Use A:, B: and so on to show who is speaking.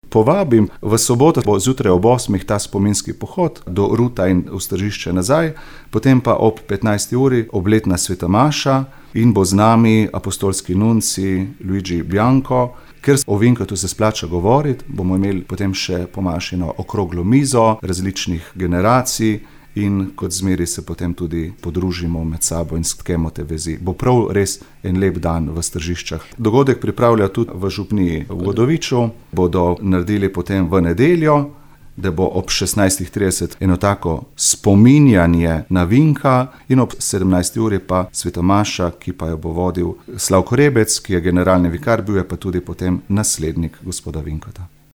A: Povabim, v soboto bo zjutraj ob 8. ta spominski pohod do Ruta in v Stržišče nazaj, potem pa ob 15. uri obletna sveta maša in bo z nami apostolski nunci Luigi Bianco. Ker o Vinkatu se splača govoriti, bomo imeli potem še po mašino okroglo mizo različnih generacij in kot zmeri se potem tudi podružimo med sabo in stkemo te vezi. Bo prav res en lep dan v Stržiščah. Dogodek pripravlja tudi v župniji v Godoviču, bodo naredili potem v nedeljo, da bo ob 16.30 eno tako spominjanje na Vinka in ob 17. uri pa sveta maša, ki pa jo bo vodil Slavko Rebec, ki je generalni vikar, bil je pa tudi potem naslednik gospoda Vinkata.